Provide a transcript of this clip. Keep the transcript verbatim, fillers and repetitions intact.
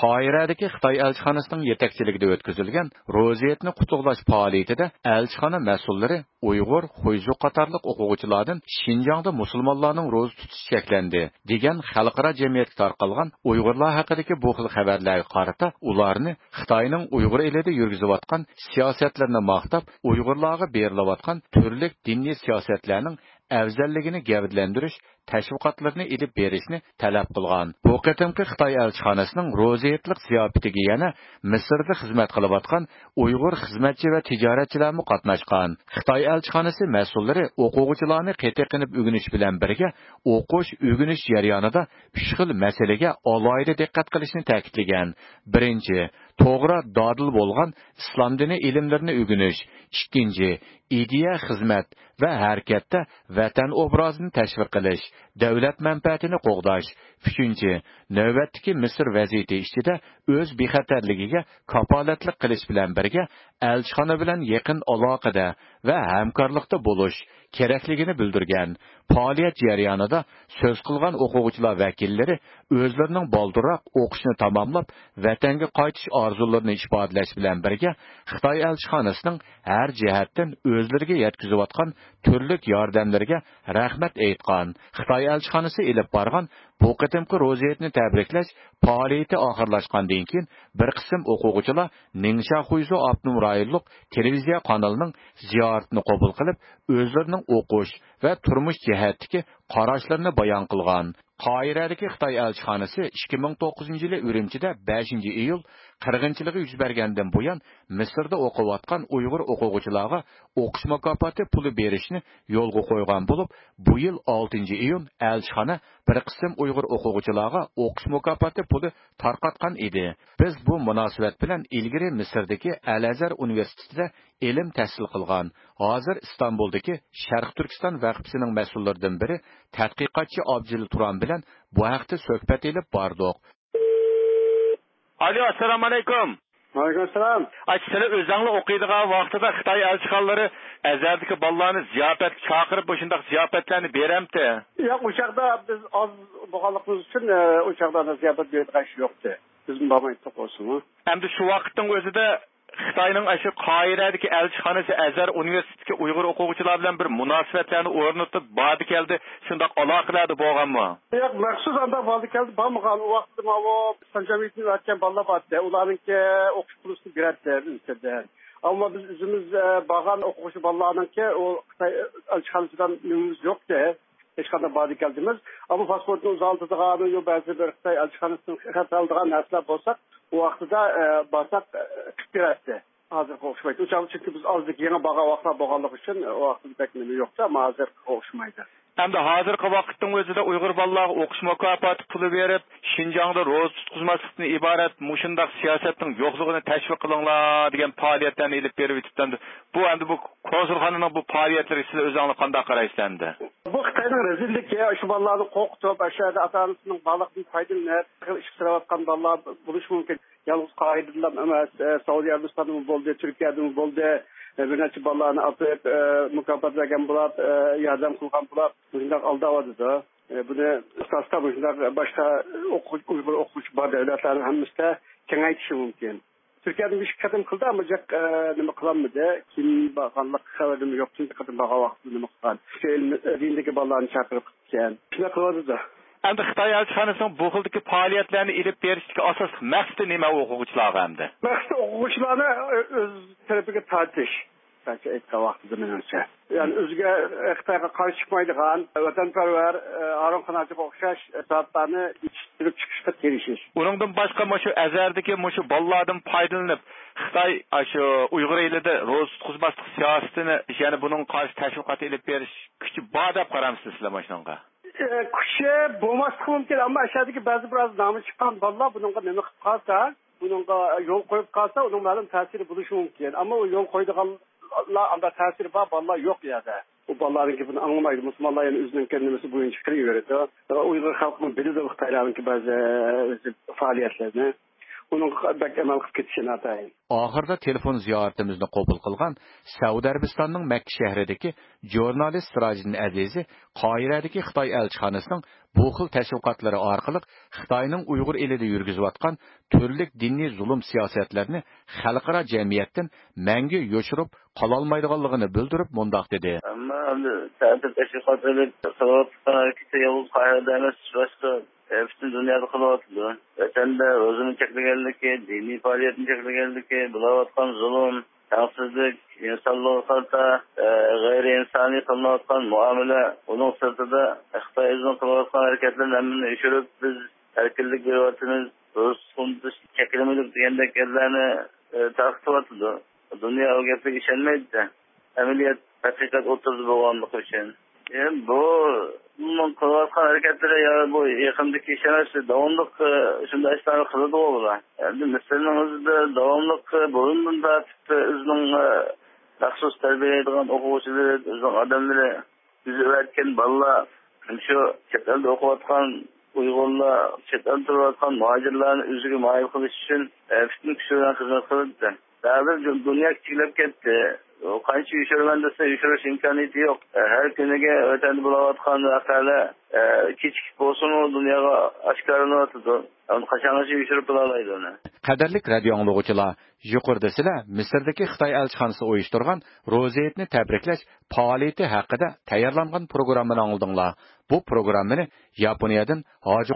قاھىرەدىكى خىتاي ئەلچىخانىسىنىڭ يېتەكچىلىكىدە ئۆتكۈزۈلگەن روزى ھېيتنى قۇتلۇقلاش پائالىيىتىدە ئەلچىخانا مەسئۇللىرى ئۇيغۇر، خۇيزۇ قاتارلىق ئوقۇغۇچىلاردىن شىنجاڭدا مۇسۇلمانلارنىڭ روزا تۇتۇشى چەكلەندى دېگەن خەلقئارا جەمئىيەتكە تارقالغان ئۇيغۇرلار ھەققىدىكى بۇ خىل خەۋەرلەرگە قارىتا ئۇلارنى خىتاينىڭ ئۇيغۇر ئېلىدە يۈرگۈزۈۋاتقان سىياسەتلىرىنى ماختاپ، ئۇيغۇرلارغا بېرىلىۋاتقان تۈرلۈك دىنىي سىياسەتلەرنىڭ ئەۋزەللىكىنى گەۋدىلەندۈرۈش تەشۋىقاتلىرىنى ئېلىپ بېرىشنى تەلەپ قىلغان. بۇ قېتىمقى خىتاي ئەلچىخانىسىنىڭ روزى ھېيتلىق زىياپىتىگە يەنە مىسىردا خىزمەت قىلىۋاتقان ئۇيغۇر خىزمەتچى ۋە تىجارەتچىلەرمۇ قاتناشقان. خىتاي ئەلچىخانىسى مەسئۇللىرى ئوقۇغۇچىلارنى قېتىرقىنىپ ئۆگىنىش بىلەن بىرگە، ئوقۇش، ئۆگىنىش جەريانىدا ئۈچ خىل مەسىلىگە ئالاھىدە دىققەت قىلىشنى تەكىتلىگەن. بىرىنچى، توغرا، دادىل بولغان ئىسلام دىنى ئىلىملىرىنى ئۆگىنىش. ئىككىنچى، ئىدىيە، خىزمەت ۋە ھەرىكەتتە ۋەتەن ئوبرازىنى تەشۋىق قىلىش، دۆلەت مەنپەئەتىنى قوغداش. ئۈچىنچى، نۆۋەتتىكى مىسىر ۋەزىيىتى ئىچىدە ئۆز بىخەتەرلىكىگە كاپالەتلىك قىلىش بىلەن بىرگە، ئەلچىخانا بىلەن يېقىن ئالاقىدە ۋە ھەمكارلىقتا بولۇش كېرەكلىكىنى بىلدۈرگەن. پائالىيەت جەريانىدا سۆز قىلغان ئوقۇغۇچىلار ۋەكىللىرى ئۆزلىرىنىڭ بالدۇرراق ئوقۇشنى تاماملاپ، ۋەتەنگە قايتىش ئارزۇلىرىنى ئىپادىلەش بىلەن بىرگە، خىتاي ئەلچىخانىسىنىڭ ھەر جەھەتتىن ئۆزلىرىگە يەتكۈزۈۋاتقان تۈرلۈك ياردەملىرىگە رەھمەت ئېيتقان. خىتاي ئەلچىخانىسى ئېلىپ بارغان بۇ قېتىمقى روزى ھېيتنى تەبرىكلەش پائالىيىتى ئاخىرلاشقاندىن كېيىن، بىر قىسىم ئوقۇغۇچىلار نىڭشيا خۇيزۇ ئاپتونوم رايونلۇق تېلېۋىزىيە قانىلىنىڭ زىيارىتىنى قوبۇل قىلىپ، ئۆزلىرىنىڭ ئوقۇش ۋە تۇرمۇش جەھەتتىكى قاراشلىرىنى بايان قىلغان. قاھىرەدىكى خىتاي ئەلچىخانىسى ئىككى مىڭ توققۇزىنچى يىلى ئۈرۈمچىدە بەشىنچى ئىيۇل قىرغىنچىلىقى يۈز بەرگەندىن بۇيان، مىسىردا ئوقۇۋاتقان ئۇيغۇر ئوقۇغۇچىلارغا ئوقۇش مۇكاپاتى پۇلى بېرىشنى يولغا قويغان بولۇپ، بۇ يىل ئالتىنچى ئىيۇن ئەلچىخانا بىر قىسىم ئۇيغۇر ئوقۇغۇچىلارغا ئوقۇش مۇكاپاتى پۇلى تارقاتقان ئىدى. بىز بۇ مۇناسىۋەت بىلەن ئىلگىرى مىسىردىكى ئەل ئەزھەر ئۇنىۋېرسىتېتىدا ئىلىم تەھسىل قىلغان، ھازىر ئىستانبۇلدىكى شەرقىي تۈركىستان ۋەقپىسىنىڭ مەسئۇللىرىدىن بىرى، تەتقىقاتچى ئابجىل تۇران بىلەن بۇ ھەقتە سۆھبەت ئېلىپ باردۇق. ئالو، ئەسسالامۇ ئەلەيكۇم. ۋەئەلەيكۇم ئەسسالام. ئاچا، سىلەر ئۆزەڭلار ئوقۇيدىغان ۋاقتىدا خىتاي ئەلچىخانىلىرى ئەزھەردىكى بالىلارنى زىياپەتكە چاقىرىپ، مۇشۇنداق زىياپەتلەرنى بېرەمتى؟ ياق، ئۇ چاغدا بىز ئاز بولغانلىقىمىز ئۈچۈن، ئە، ئۇ چاغدا زىياپەت بېرىدىغان ئىش يوقتى. بىزمۇ بارمايتتۇق بولسىمۇ. ئەمدى شۇ ۋاقىتنىڭ ئۆزىدە خىتاينىڭ ئاشۇ قاھىرەدىكى ئەلچىخانىسى ئەزھەر ئۇنىۋېرسىتېتىدىكى ئۇيغۇر ئوقۇغۇچىلار بىلەن بىر مۇناسىۋەتلەرنى ئورنىتىپ، باردى كەلدى، شۇنداق ئالاقىلەردە بولغانمۇ؟ ياق، مەخسۇس ئانداق باردى كەلدى بارمىغان. ئۇ ۋاقىتتا ماۋۇ ئىسلام جەمئىيىتىدىن ئۆتكەن بالىلار بارتتى. ئۇلارنىڭكى ئوقۇش پۇلىسىنى بېرەتتى بىزدىن. ئەمما بىز ئۆزىمىز، ئە، بارغان ئوقۇغۇچى بالىلارنىڭكى ئۇ خىتاي ئەلچىخانىسىدىن نېمىمىز يوقتى. ھېچقانداق باردى كەلدىمىز. ئەمما پاسپورتنى ئۇزارتىدىغان يا بەزى بىر خىتاي ئەلچىخانىسىدىن خەت ئالىدىغان نەرسىلەر بولسا، ئۇ ۋاقتىدا، ئە، بارساق، ئە، قىلىپ بېرەتتى. ھازىرقىغا ئوخشىمايدۇ. ئۇ چاغدا چۈنكى بىز ئازدىكى يېڭى بارغان ۋاقىتلار بولغانلىقى ئۈچۈن، ئۇ ۋاقتىدا بەك نېمە يوقتى، ئەمما ھازىرقىغا ئوخشىمايدۇ. ئەمدى ھازىرقى ۋاقىتنىڭ ئۆزىدە ئۇيغۇر بالىلارغا ئوقۇش مۇكاپاتى پۇلى بېرىپ، شىنجاڭدا روزا تۇتقۇزماسلىقتىن ئىبارەت مۇشۇنداق سىياسەتنىڭ يوقلۇقىنى تەشۋىق قىلىڭلار دېگەن پائالىيەتلەرنى ئېلىپ بېرىۋېتىپتۇ. ئەمدى بۇ، ئەمدى بۇ كونسۇلخانىنىڭ بۇ پائالىيەتلىرىگە سىلەر ئۆزۈڭلار قانداق قارايسىلەر ئەمدى؟ بۇ خىتاينىڭ رەزىللىكى، شۇ بالىلارنى قورقۇتۇپ، ئاشۇ يەردە ئاتا-ئانىسىنىڭ بارلىقىدىن پايدىلىنىپ، ئىشقا سېلىۋاتقان بالىلار بولۇشى مۇمكىن. يالغۇز قاھىرىدىلا ئەمەس، ئە، سەئۇدى ئەرەبىستاندىمۇ بولدى، تۈركىيەدىمۇ بولدى. ئە، بىر نەچچە بالىلارنى ئاپىرىپ، ئە، مۇكاپات بەرگەن بولۇپ، ئە، ياردەم قىلغان بولۇپ، مۇشۇنداق ئالداۋاتىدۇ. ئە، بۇنى ئاساستا مۇشۇنداق باشقا ئوقۇغۇچى، ئۇيغۇر ئوقۇغۇچى بار دۆلەتلەرنىڭ ھەممىسىدە كېڭەيتىشى مۇمكىن. تۈركىيەدە بىر ئىككى قېتىم قىلدى، ئەمما جىق، ئە، نېمە قىلالمىدى. كېيىن بارغانلىق خەۋىرىمۇ يوق، تۇنجى قېتىم بارغان ۋاقتىدا نېمە قىلغان. شۇ ئىلمىي، ئە، دىندىكى بالىلارنى چاقىرىپ قىلىپتىكەن. شۇنداق قىلىۋاتىدۇ. ئەمدى خىتاي ئەلچىخانىسىنىڭ بۇ خىلدىكى پائالىيەتلەرنى ئېلىپ بېرىشتىكى ئاساسلىق مەقسىتى نېمە ئوقۇغۇچىلارغا ئەمدى؟ مەقسىتى ئوقۇغۇچىلارنى ئۆز تەرىپىگە تارتىش. قىسقىچە ئېيتقان ۋاقتىدا مېنىڭچە. يەنى ئۆزىگە، خىتايغا قارشى چىقمايدىغان، ۋەتەنپەرۋەر، ھارۇن قاناتچىغا ئوخشاش زاتلارنى يېتىشتۈرۈپ چىقىشقا تىرىشىش. ئۇنىڭدىن باشقا مۇشۇ ئەزھەردىكى مۇشۇ بالىلاردىن پايدىلىنىپ، خىتاي ئاشۇ ئۇيغۇر ئېلىدە روزا تۇتقۇزماسلىق سىياسىتىنى، يەنى بۇنىڭغا قارشى تەشۋىقات ئېلىپ بېرىش كۈچى بار دەپ قارامسىز سىلەر مۇشۇنىڭغا؟ ئە، كۈچى بولماسلىقى مۇمكىن، ئەمما ئەشەدىكى بەزى بىر ئاز نامى چىققان بالىلار بۇنىڭغا نېمە قىلىپ قالسا، بۇنىڭغا يول قويۇپ قالسا، ئۇنىڭ مەلۇم تەسىرى بولۇشى مۇمكىن. ئەمما ئۇ يول قويىدىغانلار، ئانداق تەسىرى بار بالىلار يوق ئۇ يەردە. ئۇ بالىلارنىڭ گېپىنى ئاڭلىمايدۇ. مۇسۇلمانلار يەنە ئۆزىنىڭكى نېمىسى بويىچە قىلىۋېرىدۇ. ئۇيغۇر خەلقىمۇ بىلىدۇ خىتايلارنىڭكى بەزى، ئە، ئۆزى پائالىيەتلىرىنى. ئۇنىڭغا بەك ئەمەل قىلىپ كېتىشى ناتايىن. ئاخىرىدا تېلېفون زىيارىتىمىزنى قوبۇل قىلغان سەئۇدى ئەرەبىستاننىڭ مەككە شەھىرىدىكى ژۇرنالىست سىراجىدىن ئەزىزى قاھىرەدىكى خىتاي ئەلچىخانىسىنىڭ بۇ خىل تەشۋىقاتلىرى ئارقىلىق خىتاينىڭ ئۇيغۇر ئېلىدە يۈرگۈزۈۋاتقان تۈرلۈك دىنىي زۇلۇم سىياسەتلىرىنى خەلقئارا جەمئىيەتتىن مەڭگۈ يوشۇرۇپ قالالمايدىغانلىقىنى بىلدۈرۈپ مۇنداق دېدى. ئەمما ئەمدى تەتۈر تەشۋىقات ئېلىپ قىلىۋاتقان ھەرىكىتى يالغۇز قاھىرەدە ئەمەس، باشقا، ئە، پۈتۈن دۇنيادا قىلىۋاتىدۇ. ۋەتەندە روزىنى چەكلىگەنلىكى، دىنىي پائالىيەتنى چەكلىگەنلىكى، بولۇۋاتقان زۇلۇم، تەڭسىزلىك، ئىنسانلىققا قارىتا، ئە، غەيرىي ئىنسانىي قىلىنىۋاتقان مۇئامىلە، ئۇنىڭ سىرتىدا خىتاي ئۆزىنىڭ قىلىۋاتقان ھەرىكەتلىرىنى ھەممىنى ئۆچۈرۈپ، بىز ئەركىنلىك بېرىۋاتىمىز، روزا تۇتقۇزۇش چەكلىمىدۇق دېگەندەك گەپلەرنى، ئە، تارقىتىۋاتىدۇ. دۇنيا ئۇ گەپلەرگە ئىشەنمەيدۇ. ئەمەلىيەت، ھەقىقەت ئوتتۇرىدا بولغانلىقى ئۈچۈن. ئە، بۇ، بۇنىڭ قىلىۋاتقان ھەرىكەتلىرى يا بۇ يېقىندىكى ئىش ئەمەس، داۋاملىق، ئە، شۇنداق ئىشلارنى قىلىدىغۇ بۇلار. ئەمدى مىسىرنىڭ ئۆزىدە داۋاملىق، ئە، بۇرۇندىن تارتىپ، ئە، ئۆزىنىڭ، ئە، مەخسۇس تەربىيەلەيدىغان ئوقۇغۇچىلىرى، ئۆزىنىڭ ئادەملىرى، ئۆزى ئەۋەتكەن بالىلار شۇ چەت ئەلدە ئوقۇۋاتقان ئۇيغۇرلار، چەت ئەلدە تۇرۇۋاتقان مۇھاجىرلارنى ئۆزىگە مايىل قىلىش ئۈچۈن، ئە، پۈتۈن كۈچى بىلەن خىزمەت قىلىدۇ. ھازىر دۇ-، دۇنيا كىچىكلەپ كەتتى. ئۇ قانچە يوشۇرىمەن دېسە، يوشۇرۇش ئىمكانىيىتى يوق. ئە، ھەر كۈنىگە ۋەتەندە بولۇۋاتقان ۋەقەلەر، ئە، كېچىكىپ بولسىمۇ دۇنياغا ئاشكارىلىنىۋاتىدۇ. ئۇنى قاچانغىچە يوشۇرۇپ بولالايدۇ ئۇنى؟ قەدىرلىك رادىئو ئاڭلىغۇچىلار، يۇقىرىدا سىلەر مىسىردىكى خىتاي ئەلچىخانىسى ئۇيۇشتۇرغان روزا ھېيتنى تەبرىكلەش پائالىيىتى ھەققىدە تەييارلانغان پروگراممىنى ئاڭلىدىڭلار. بۇ پروگراممىنى ياپونىيەدىن ھاجى